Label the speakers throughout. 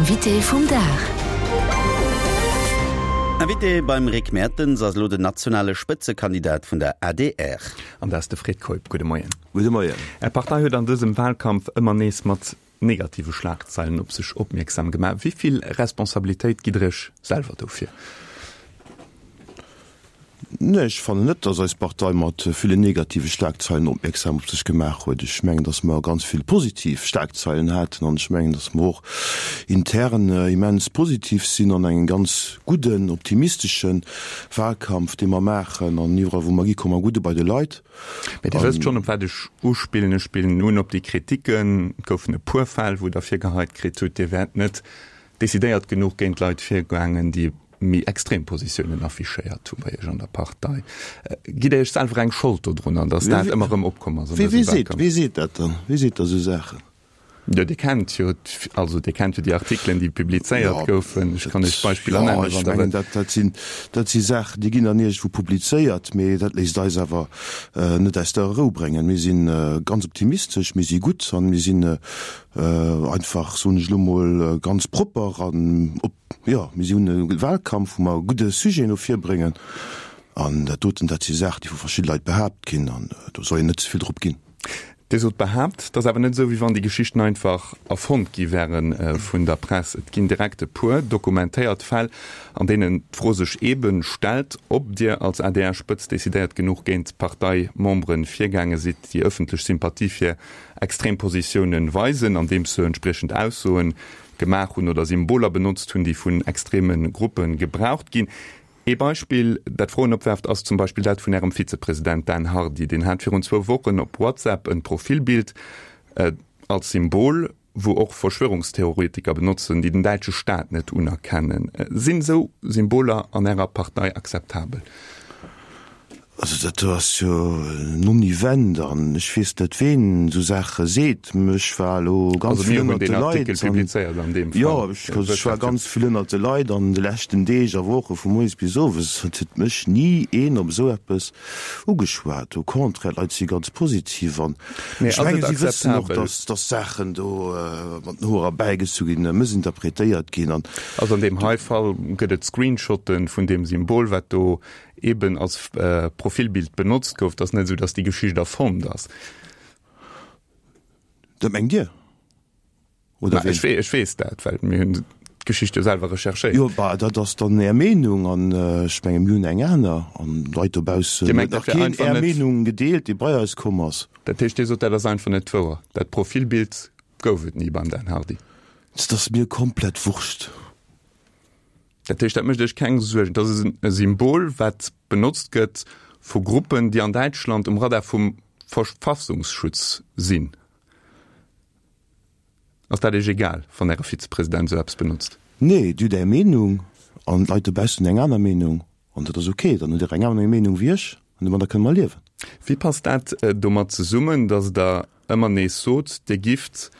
Speaker 1: Invité vum Dag.
Speaker 2: Invité beim Rick Mertens ass elo den nationale Spëtzekandidat vun der adr.
Speaker 3: An dat ass de Fred Keup. Gudde Moien.
Speaker 4: Gudde Moien.
Speaker 3: Är Partei huet an dësem Wahlkampf ëmmer nees mat negative Schlagzeilen op sech opmierksam gemaach. Wéi vill Responsabilitéit gitt Der Iech selwer dofir?
Speaker 4: Nee, ech fannen net, datt eis Partei mat villen negative Schlagzeilen opmierksam op sech gemaach huet. Ech mengen, datt mer ganz vill positiv Schlagzeilen haten an ech mengen, datt mer och intern immens positiv sinn an engem ganz gudden, optimistesche Wahlkampf, dee mer maachen an iwwerall wou mer gi komme mer gutt u bei de Leit.
Speaker 3: Mä Dir wësst schonn, op wat ech uspillen. Ech spillen un op déi Kritiken. Et goufen e puer Fäll, wou Der virgeheit kritt hutt, Dir wäert net decidéiert genuch géint Leit virgaangen, déi méi extrem Positiounen affichéiert hu bei Iech an der Partei. Gitt Der Iech selwer eng Schold dodrunner, datt dat ëmmer erëm opkomm ass an dësem Wahlkampf?
Speaker 4: Wee seet dat dann? Wee seet da sou Saachen?
Speaker 3: Jo, Dir kennt jo, also Dir kennt jo déi Artikelen, déi publizéiert goufen. Ech kann Iech Beispiller nennen,
Speaker 4: wann Der wëllt. Dat sinn, dat si Saachen, déi ginn dann iergendwou publizéiert, mee dat léisst eis awer net aus der Rou bréngen. Mir si ganz optimistesch, mir si gutt an mir sinn einfach, soen ech elo mol, ganz propper an op, jo, mir si hunn e Wahlkampf, wou mer gudde Sujeten no vir bréngen an dat doten, dat si Saachen, déi vu verschidde Leit behaapt ginn an do soll een net ze vill drop ginn.
Speaker 3: Dir sot behaapt, et ass awer net esou, wéi wann déi Geschichten einfach erfonnt gi wäre vun der Press. Et ginn direkt e puer dokumentéiert Fäll, an deenen d'Fro sech eebe stellt, ob Dir als ADR-Spëtzt decidéiert genuch géint Parteimembere virgaange sidd, déi ëffentlech Sympathie fir extrem Positiounen weisen, andeems se entspriechend Aussoen gemaach hunn oder Symboler benotzt hunn, déi vun extreme Gruppe gebraucht ginn. Ee Beispill, dat Froen opwerft, ass zum Beispill dat vun Ärem Vizepresident Dan Hardy. Deen hat virun zwou Wochen op WhatsApp en Profilbild als Symbol, wou och Verschwörungstheoretiker benotzen, déi den däitsche Staat net unerkennen. Sinn esou Symboler an Ärer Partei akzeptabel?
Speaker 4: Also dat do ass jo en Non-Event an ech weess net ween esou Saache seet. Ech war elo ganz vill ënnert de Leit an, jo, ech war ganz vill ënnert de Leit an de leschten Deeg a Woche vu moies bis owes. Et huet mech ni een op esou eppes ugeschwat. Au contraire, d'Leit si ganz positiv an ech menge si wëssen och, datt datt Saachen do mat den Hoer erbäigezu ginn, mëssinterpretéiert ginn an.
Speaker 3: Also an deem hei Fall gëtt et Screenshotte vun deem Symbol, wat do eben als Profilbild benotzt gouf. Et ass net esou, datt déi Geschicht erfonnt ass.
Speaker 4: Dat mengt Dir?
Speaker 3: Oder ween? Ech weess dat, well mir hunn d'Geschicht jo selwer recherchéiert.
Speaker 4: Jo, bah, dat ass dann Är Meenung an ech menge mir hunn eng aner an d'Leit dobaussen huet nach keen Är Meenung gedeelt, dee bei eis komm ass.
Speaker 3: Dat heescht, Dir sot, dat ass einfach net wouer, dat Profilbild gouf et ni beim Dan Hardy?
Speaker 4: Dat ass mir komplett Wurscht.
Speaker 3: Dat heescht, dat mécht Iech keng Suergen. Dat ass e Symbol, wat benotzt gëtt vu Gruppen, déi an Däitschland um Radar vum Verfassungsschutz sinn. Ass dat Iech egal, wann Äre Vizepresident esou eppes benotzt?
Speaker 4: Nee, Dir hutt Är Meenung an d'Leit dobaussen hunn eng aner Meenung an dat ass ok. Dann hutt Dir eng aner Meenung wéi ech an domadder kënne mer liewen.
Speaker 3: Wéi passt dat domat zesummen, datt Der ëmmer nees sot, Dir gifft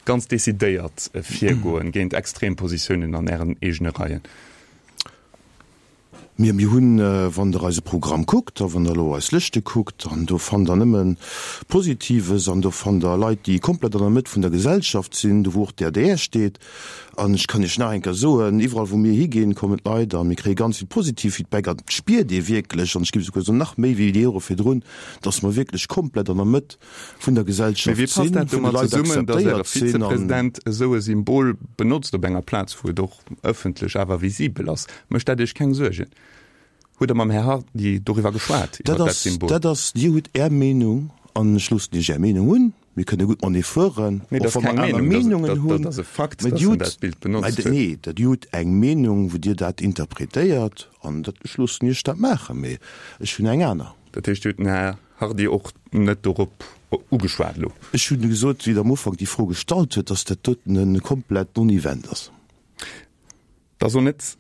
Speaker 3: ganz decidéiert virgoen géint extrem Positiounen an Ären eegene Reien?
Speaker 4: Mir, mir hunn, wann Der eise Programm kuckt a wann Der elo eis Lëschte kuckt, an do fannt Der nëmme Positives an do fannt Der Leit, déi komplett an der Mëtt vun der Gesellschaft sinn, do wou och d'ADR steet. An ech kann Iech nach eng Kéier soen, iwwerall wou mir higinn, kommen d'Leit a mir kréie ganz vill positiv Feedback an et spiert ee wierklech, an ech géif esouguer soen nach méi wéi déi Jore virdrun, dass mer wierklech komplett an der Mëtt vun der
Speaker 3: Mee
Speaker 4: Gesellschaft
Speaker 3: wéi passt
Speaker 4: sinn,
Speaker 3: dat
Speaker 4: vun de
Speaker 3: domat
Speaker 4: Leit
Speaker 3: zesummen, datt Äre
Speaker 4: akzeptéiert sinn. An
Speaker 3: Vizepresident esou e Symbol benotzt op enger Plaz, wou et och ëffentlech awer visibel ass? Mécht dat Iech keng Suergen? Hutt Der mam Här Hardy doriwwer geschwat,
Speaker 4: dat
Speaker 3: iwwer dat
Speaker 4: ass,
Speaker 3: Symbol?
Speaker 4: dat ass, Dir hutt Är Meenung an ech loossen Iech Är Meenung hunn. Mir kënne gutt matenee fueren,
Speaker 3: Nee,
Speaker 4: och
Speaker 3: dat ass
Speaker 4: wa mer
Speaker 3: keng
Speaker 4: aner
Speaker 3: Meenung, dat ass,
Speaker 4: Meenungen
Speaker 3: dat,
Speaker 4: hunn.
Speaker 3: dat ass e Fakt,
Speaker 4: Mä
Speaker 3: datt
Speaker 4: Dir
Speaker 3: en
Speaker 4: hutt,
Speaker 3: dat Bild
Speaker 4: mä
Speaker 3: benotzt huet.
Speaker 4: nee, dat Dir hutt eng Meenung, wou Dir dat interpretéiert an dat, ech loossen Iech dat maachen, mee ech hunn eng aner.
Speaker 3: Dat heescht, Dir hutt den Här Hardy och net dorop ugeschwat elo?
Speaker 4: Ech hunn gesot, wéi Der am Ufank déi Fro gestallt huet, dass dat doten e komplett Non-Event ass.
Speaker 3: Et ass och net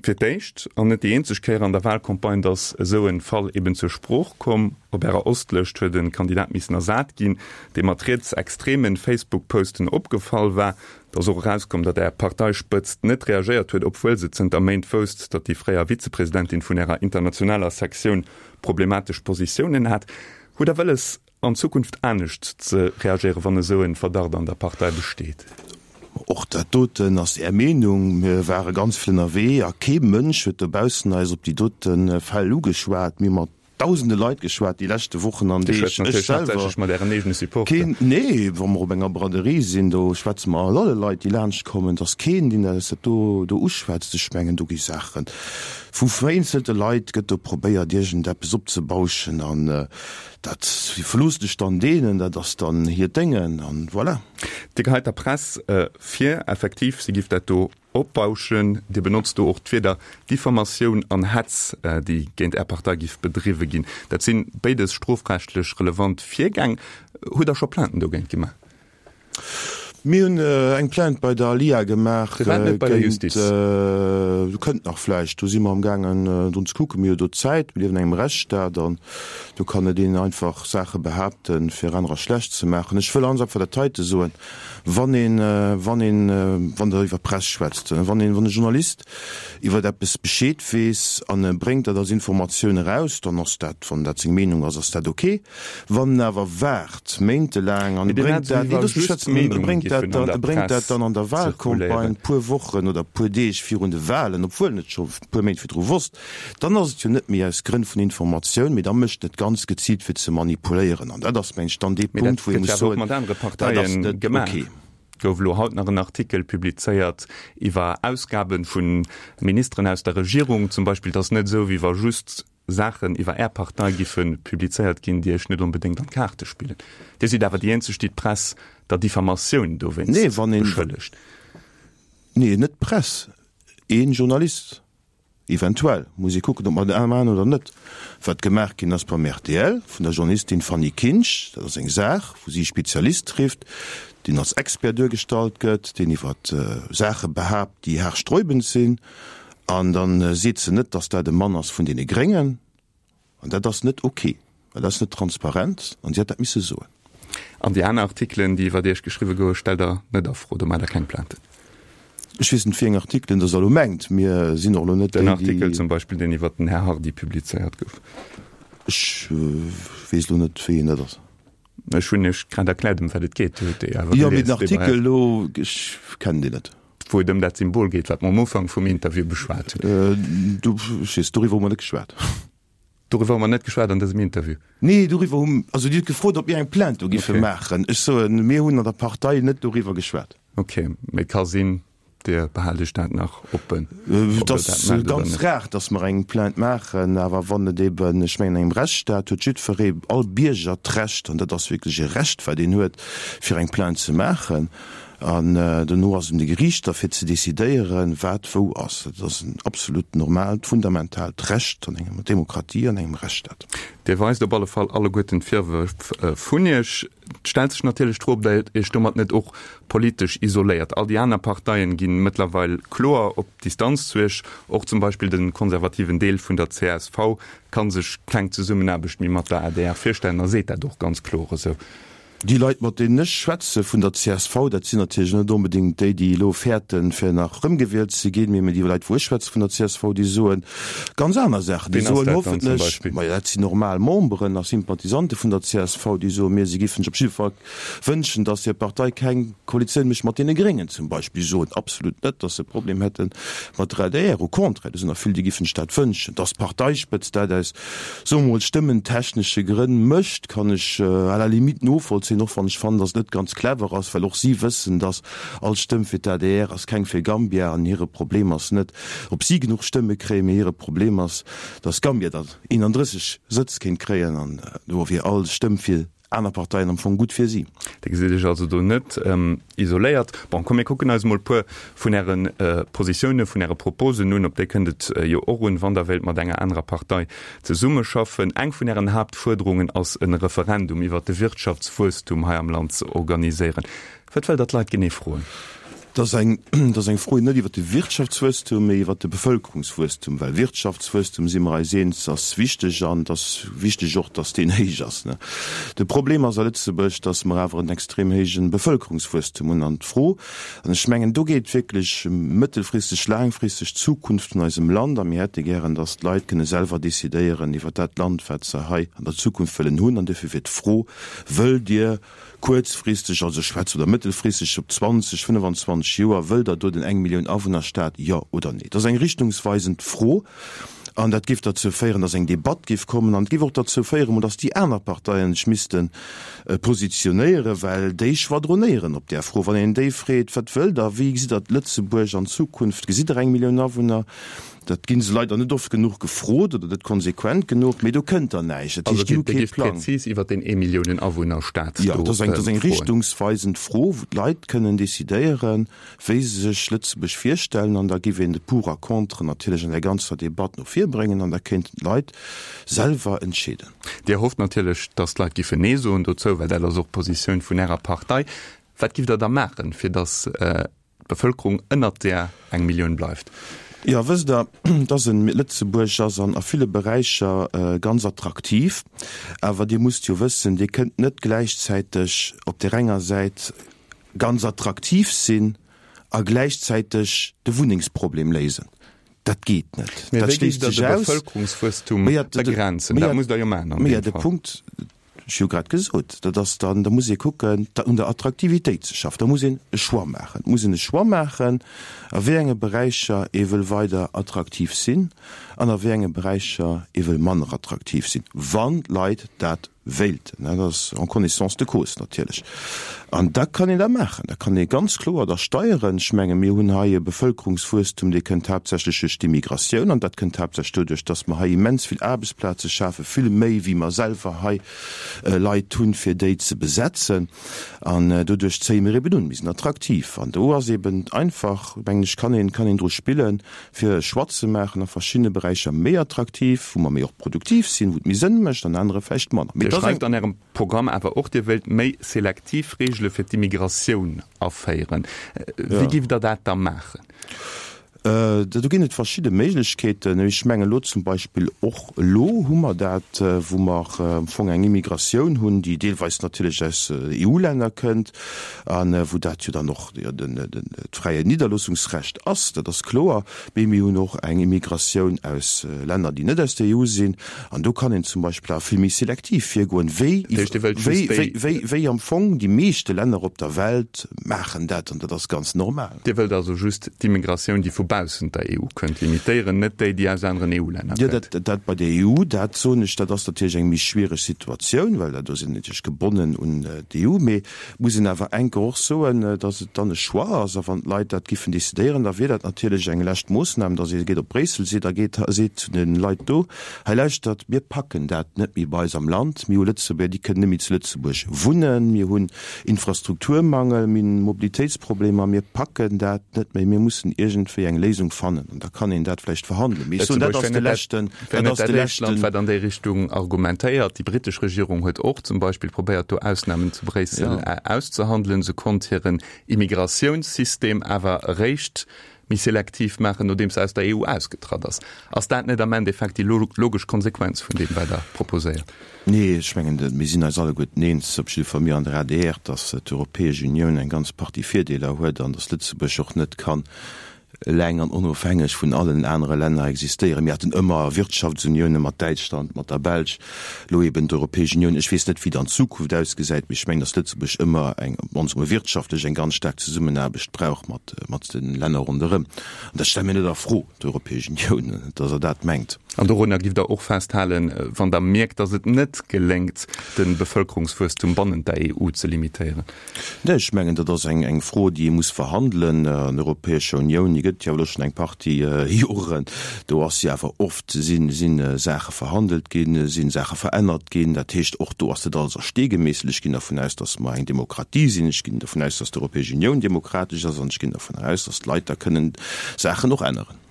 Speaker 3: fir d'éischt an net déi eenzeg Kéier an der Wahlcampagne, dass esou e Fall eben zur Sprooch komm. Op Ärer Ostlëscht huet e Kandidat missen ersat ginn, dee mat rietsextremen Facebook-Posten opgefall war. Et ass och erauskomm, datt Är Parteispëtzt net reagéiert huet, obwuel se zënter Méint wousst, datt déi fréier Vizepresidentin vun Ärer internationaler Sektioun problematesch Positiounen hat. Hutt Der wëlles, an Zukunft anescht ze reagéieren, wann esou en Verdacht an der Partei besteet?
Speaker 4: Och dat doten ass Är Meenung. Mir ware ganz vill ënnerwee a kee Mënsch huet dobaussen eis op déi dote Fäll ugeschwat. Mir hu mat dausende Leit geschwat déi leschte Wochen an
Speaker 3: Dir Deeg. schwätzt
Speaker 4: Ech
Speaker 3: natierlech
Speaker 4: selwer
Speaker 3: haaptsächlech mat Ären eegene Supporter.
Speaker 4: keen, nee, wa mer op enger Braderie sinn, do schwätze mer mat alle Leit, déi laanscht kommen. Et ass keen, deen eis dat do do uschwätzt. Ech mengen, do gi Saache vu vereenzelte Leit gëtt do probéiert, iergendeppes opzebauschen an dat iwwerloossen ech dann deenen, dat ass dann hiert Déngen an voilà.
Speaker 3: Dir geheit der Press vir, effektiv, si giff dat do opbauschen. Dir benotzt do och d'Wierder Diffamatioun an Hetz, déi géint Är Partei giff bedriwwe ginn. Dat si béides strofrechtlech relevant Virgäng. Hutt Der scho Plainten dogéint gemaach?
Speaker 4: Mir hunn eng Plainte bei der ALIA gemaach
Speaker 3: Firwat net bei der
Speaker 4: géint,
Speaker 3: Justiz?
Speaker 4: do kënnt nach vläicht, do si mer amgaangen drun ze kucken. Mir hu do Zäit, mir liewen an engem Rechtsstaat an do kann net een einfach Saache behaapten, fir anerer schlecht ze maachen. Ech wëll ganz einfach dat heite soen, Wann een, wann een, wann Der iwwer Press schwätzt, wann een, wann e Journalist iwwer eppes Bescheed weess an e bréngt dat als Informatioun eraus, dann ass dat, wann dat seng Meenung ass, ass dat ok. Wann en awer waart méintelaang an e
Speaker 3: Mee Dir
Speaker 4: bréngt
Speaker 3: hat
Speaker 4: dat,
Speaker 3: esou
Speaker 4: nee,
Speaker 3: wéi wa
Speaker 4: looss mech
Speaker 3: just
Speaker 4: schwätzen, e
Speaker 3: Meenunge
Speaker 4: bréngt dat
Speaker 3: giffen an
Speaker 4: dann, e
Speaker 3: der
Speaker 4: bréngt dat
Speaker 3: Press
Speaker 4: dann an der Wahlcampagne
Speaker 3: zirkuléieren.
Speaker 4: puer Wochen oder puer Deeg virun de Wahlen, obwuel en et scho puer Méint virdru wosst, Dann ass et jo net méi aus Grënn vun Informatioun, mee da mécht en et ganz geziilt fir ze manipuléieren. An dat ass, mengen ech, dann dee
Speaker 3: Mee dat
Speaker 4: Punkt, wou ee
Speaker 3: gëtt
Speaker 4: muss
Speaker 3: jo awer och
Speaker 4: soen,
Speaker 3: mat anere
Speaker 4: dat ass
Speaker 3: Parteien
Speaker 4: net
Speaker 3: gemaach.
Speaker 4: ok.
Speaker 3: Gouf elo haut nach en Artikel publizéiert iwwer Ausgabe vu Ministeren aus der Regierung zum Beispill. Et ass net esou, wéi wa just Saachen iwwer Är Partei giffe publizéiert ginn, déi Iech net onbedéngt an d'Kaarte spillen. Dir sidd awer déi eenzeg, déi d'Press der Diffamatioun
Speaker 4: Nee,
Speaker 3: dowéinst
Speaker 4: wann een,
Speaker 3: beschëllegt.
Speaker 4: nee, net d'Press, ee Journalist. Eventuell muss ee kucken, ob mer dat maachen oder net. Wat gemaach ginn ass beim rtl vun der Journalistin Fanny Kinsch, dat ass eng Saach, wou si e Spezialist trifft, deen als Expert duergestallt gëtt, deen iwwer Saache behaapt, déi haarsträubend sinn. An da seet se net, datt dat e Mann ass vun deene Gréngen. An dat ass net ok, well dat ass net transparent an si hätt dat misse soen.
Speaker 3: An déi aner Artikelen, déi iwwert Iech geschriwwe gouwe, stellt Der net a Fro? Do maacht Der keng Plainte?
Speaker 4: Ech weess net, wéi eng Artikelen Der elo mengt. Mir sinn och elo net
Speaker 3: déi, déi. Den Artikel zum Beispill, deen iwwert den Här Hardy publizéiert gouf.
Speaker 4: Ech weess elo net, wéi een dat ass.
Speaker 3: Ech hunn Iech grad erkläert, ëm wat et geet. Dir hutt déi awer
Speaker 4: gelies. Jo, mee den
Speaker 3: dee
Speaker 4: Artikel elo, ech kennen deen net.
Speaker 3: Wou et ëm dat Symbol geet, wat mer am Ufank vum Interview beschwat hunn.
Speaker 4: Du, ech weess, doriwwer hu mer net geschwat.
Speaker 3: Doriwwer hu mer net geschwat an dësem Interview.
Speaker 4: Nee, doriwwer hu, also Dir hutt gefrot, ob mir eng Plainte do giffe maachen. Ech soen, mir hunn an der Partei net doriwwer geschwat.
Speaker 3: Ok, mee et ka sinn, Dir behaalt Iech dat nach oppen,
Speaker 4: ob
Speaker 3: Der
Speaker 4: Et
Speaker 3: dat
Speaker 4: ass
Speaker 3: maacht oder
Speaker 4: ganz
Speaker 3: net.
Speaker 4: rar, datt mer eng Plainte maachen, awer wann et eben, ech mengen, an engem Rechtsstaat huet jiddweree, all Bierger d'Recht, an dat ass wierklech e Recht, wat een huet, fir eng Plainte ze maachen. An dono ass et un de Geriichter fir ze decidéieren, wat wou ass. Dat ass en absolut normaalt, fundamentaalt Recht an enger Demokratie, an engem Rechtsstaat.
Speaker 3: Dir weist op alle Fall alleguerten d'Virwërf vun Iech. Et stellt sech natierlech d'Fro, ob Der Iech domat net och politesch isoléiert. All déi aner Parteien gi mëttlerweil kloer op Distanz zu Iech. Och zum Beispill de konservativen Deel vun der csv ka sech keng Zesummenaarbecht méi mat der adr virstellen a seet dat och ganz kloer esou.
Speaker 4: Déi Leit, mat deenen ech schwätze vun der csv, dat sinn natierlech net onbedéngt déi, déi elo fäerten, fir nach erëmgewielt ze ginn, mee déi Leit, wou ech schwätze vun der csv, déi soe ganz aner Saachen. Déi
Speaker 3: Ween ass
Speaker 4: soen
Speaker 3: dat dann zum
Speaker 4: hoffentlech,
Speaker 3: Beispill?
Speaker 4: majo, dat sinn normal Memberen a Sympathisante vun der csv, déi soen, mir, si giffen sech op jidde Fall wënschen, datt hir Partei keng Koalitioun mécht mat deene Gréngen zum Beispill. Déi soen absolut net, datt se e Problem hätte mat der adr. Au contraire, do sinn der vill, déi giffen sech dat wënschen, datt d'Parteispëtzt dat aus soe mer mol, stëmmentechnesche Grënn mécht, kann ech à la limite novollzéien, och wann ech fannen, datt et net ganz clever ass, well och si wëssen, datt all Stëmm fir d'ADR ass keng fir Gambia an hire Problem ass net, ob si genuch Stëmme kréien, mee hire Problem ass, datt Gambia der 31 Sëtz kéint kréien an do wier all Stëmm fir aner Parteien am Fong gutt fir si.
Speaker 3: Dir gesitt Iech also do net isoléiert. Bon, komm mir kucken eis emol e puer vun Äre Positiounen, vun Äre Proposen un. Op déi kënnt et jo och un, wann Der wéilt mat enger anerer Partei zesummeschaffen. Eng vun Ären Haaptfuerderungen ass e Referendum iwwert de Wirtschaftswuesstum hei am Land ze organiséieren. Wat wëllt Der d'Leit genee froen?
Speaker 4: Dat ass eng, dat ass eng Fro net iwwert de Wirtschaftswuesstum, mee iwwert de Bevëlkerungswuesstum, well Wirtschaftswuesstum, si mer eis eens, ass wichteg an et ass wichteg och, datt deen héich ass. De Problem ass a Lëtzebuerg, datt mer awer en extrem héije Bevëlkerungswuesstum hunn an d'Fro, an ech mengen, do geet wierklech ëm mëttelfristeg, laangfristeg d'Zukunft vun eisem Land a mir hätte gären, datt d'Leit kënne selwer decidéieren iwwert dat Land, wat se hei an der Zukunft wëllen hunn. An duerfir wier d'Fro, Wëllt Dir kuerzfristeg, also ech schwätze oder mëttelfristeg op 20, 25. 20 Joer, wëllt Der do den Eng-Millioun-Awunner-Staat, jo oder nee? Dat ass eng richtungsweisend Fro an dat géif derzou féieren, datt eng Debatt géif kommen an et géif och derzou féieren, datt déi aner Parteien sech misste positionéieren, well déi schwadronéieren op där Fro. Wann een déi freet, Wat wëllt Der, wéi gesitt Der Lëtzebuerg an Zukunft, gesitt Der eng Millioun Awunner? Dat gi se leider net oft genuch gefrot oder net konsequent genuch, mee do kënnt dann näischt.
Speaker 3: Dat heescht, déi hu kee Plang. Also Dir gift präzis iwwer deen Eemilliounen-Awunner-Staat do
Speaker 4: froen? Jo, dat ass eng richtungsweisend Fro, wou d'Leit kënnen decidéieren, wéi se sech Lëtzebuerg virstellen. An da giff een de Pour a Contre natierlech an där ganzer Debatt no vir bréngen an da kéinten d'Leit selwer entscheeden.
Speaker 3: Dir hofft natierlech, datt d'Leit giffen Nee soen dozou, well dat ass och d'Positioun vun Ärer Partei. Wat giff Der da maachen, fir datt d'Bevëlkerung ënnert där eng Millioun bleift?
Speaker 4: Jo, wësst Der, dass en Lëtzebuerg ass an a ville Beräicher ganz attraktiv, awer Dir musst jo wëssen, Dir kënnt net gläichzäiteg op där enger Säit ganz attraktiv sinn a gläichzäiteg de Wunnengsproblem léisen. Dat geet net.
Speaker 3: Mee wéi géift Der de Bevëlkerungswuesstum begrenzen? Dat musst Der jo maachen an
Speaker 4: deem Fall. Punkt, ech hu jo grad gesot, dat ass dann, da muss ee kucken, un der Attraktivitéit ze schaffen. Da muss een e Choix maachen. Et muss een e Choix maachen, a wéi enge Beräicher ee wëll weider attraktiv sinn an a wéi enge Beräicher ee wëll manner attraktiv sinn, wann d'Leit dat wéilten, dat ass en connaissance de cause natierlech, an da kann een dat maachen, da kann ee ganz kloer da steieren. Ech menge mir hunn hei e Bevëlkerungswuesstum, dee kënnt haaptsächlech duerch d'Immigratioun an dat kënnt haaptsächlech doduerch, datt mer hei immens vill Aarbechtsplaze schafen, vill méi wéi mer selwer hei Leit hunn, fir déi ze besetzen an doduerch zéie mir eben un, mir sinn attraktiv an do ass eben einfach, mengen ech, kann een, kann een dru spillen, fir e Choix ze maachen a verschiddene Beräicher méi attraktiv, wou mer méi och produktiv sinn, wou et méi Sënn mécht, an anere vläicht manner.
Speaker 3: Mee Dir et ass eng. schreift an Ärem Programm awer och, Dir wéilt méi selektiv Reegele fir d'Immigratioun aféieren. Wéi giff Der dat da maachen?
Speaker 4: Do ginn et verschidde Méiglechkeeten. Ech mengen elo zum Beispill och elo hu mer dat, wou mer am Fong eng Immigratioun hunn, déi deelweis natierlech aus EU-Länner kënnt a wou dat jo dann och d'fräie Nidderloossungsrecht ass, dat ass kloer. Mee mir hunn och eng Immigratioun aus Länner, déi net aus der EU sinn. An do kann een zum Beispill awer vill méi selektiv virgoen, wéi, wéi am Fong déi meeschte Länner op der Welt maachen dat. An dat ass ganz normal.
Speaker 3: Dir wëllt also just d'Immigratioun, déi vu baussent der EU kënnt, limitéieren, net déi, déi aus aneren EU-Länner
Speaker 4: kënnt? Jo, dat bei der EU, dat soen ech, dat ass natierlech eng méi schwiereg Situatioun, well do sinn natierlech gebonnen un d'EU. Mee Et muss een awer enke och soen, datt et dann e Choix ass, a wann d'Leit dat giffen decidéieren, da wier dat natierlech eng lescht Moossnam, datt ee geet op Bréissel seet a geet seet zu de Leit do, Hei lauschtert, mir packen dat net méi bei eis am Land, mir hu Lëtzebuerger, déi kënnen net méi zu Lëtzebuerg wunnen, mir hunn Infrastrukturmangel, mir hunn Mobilitéitsproblemer, mir packen dat net méi, mir mussen iergendwéi eng Léisung fannen. An da kann een dat vläicht verhandelen.
Speaker 3: Mee ech soen, dat ass de leschten. Wär net dat éischt Land, wat an déi Richtung argumentéiert. Déi britesch Regierung huet och zum Beispill probéiert, do Ausnamen zu Bréissel auszehandelen. Se konnt hiren Immigratiounssystem awer eréischt méi selektiv maachen, nodeems se aus der EU ausgetratt ass. Ass dat net am Endeffekt déi logesch Konsequenz vun deem, wat Der proposéiert?
Speaker 4: Nee, ech mengen, mir sinn eis alleguerten eens, op jidde Fall mir an der adr, datt d'Europäesch Unioun eng ganz Partie Virdeeler huet an datt Lëtzebuerg och net kann eleng an onofhängeg vun allen anere Länner existéieren. Mir haten ëmmer Wirtschaftsunioune mat Däitschland, mat der Belsch, elo eben d'Europäesch Unioun. Ech weess net, wéi et an Zukunft ausgesäit, mee ech mengen, datt Lëtzebuerg ëmmer eng, op d'mannst emol wirtschaftlech, eng ganz staark Zesummenaarbecht brauch mat, mat de Länner ronderëm. An dat stelle mir net a Fro, d'Europäesch Unioun, datt Der dat mengt.
Speaker 3: An dorunner giff Der och festhalen, wann Der mierkt, datt et net geléngt, de Bevëlkerungswuesstum bannent der EU ze limitéieren?
Speaker 4: Nee, ech mengen, dat ass eng Fro, déi ee muss verhandelen an der Europäescher Unioun. Déi gëtt et jo elo schonn eng Partie Joren. Do ass jo awer oft, si Saache verhandelt ginn, si Saache verännert ginn. Dat heescht, och do ass net alles a Stee gemeesselt. Ech ginn dervun aus, datt mer eng Demokratie sinn. Ech ginn dervun aus, datt d'Europäesch Unioun demokratesch ass. An ech ginn dervun aus, datt d'Leit da kënnen Saachen och änneren.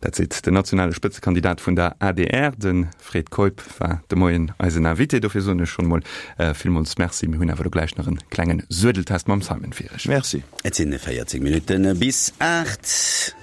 Speaker 3: Dat seet den nationale Spëtzekandidat vun der adr. De Fred Keup war de Moien eisen Invité. Dofir soen ech schonn emol villmools Merci. Mir hunn awer elo gläich nach en klengen Suedeltest mam Simon fir Iech.
Speaker 4: Merci.
Speaker 2: Et sinn 14 Minutten bis 8.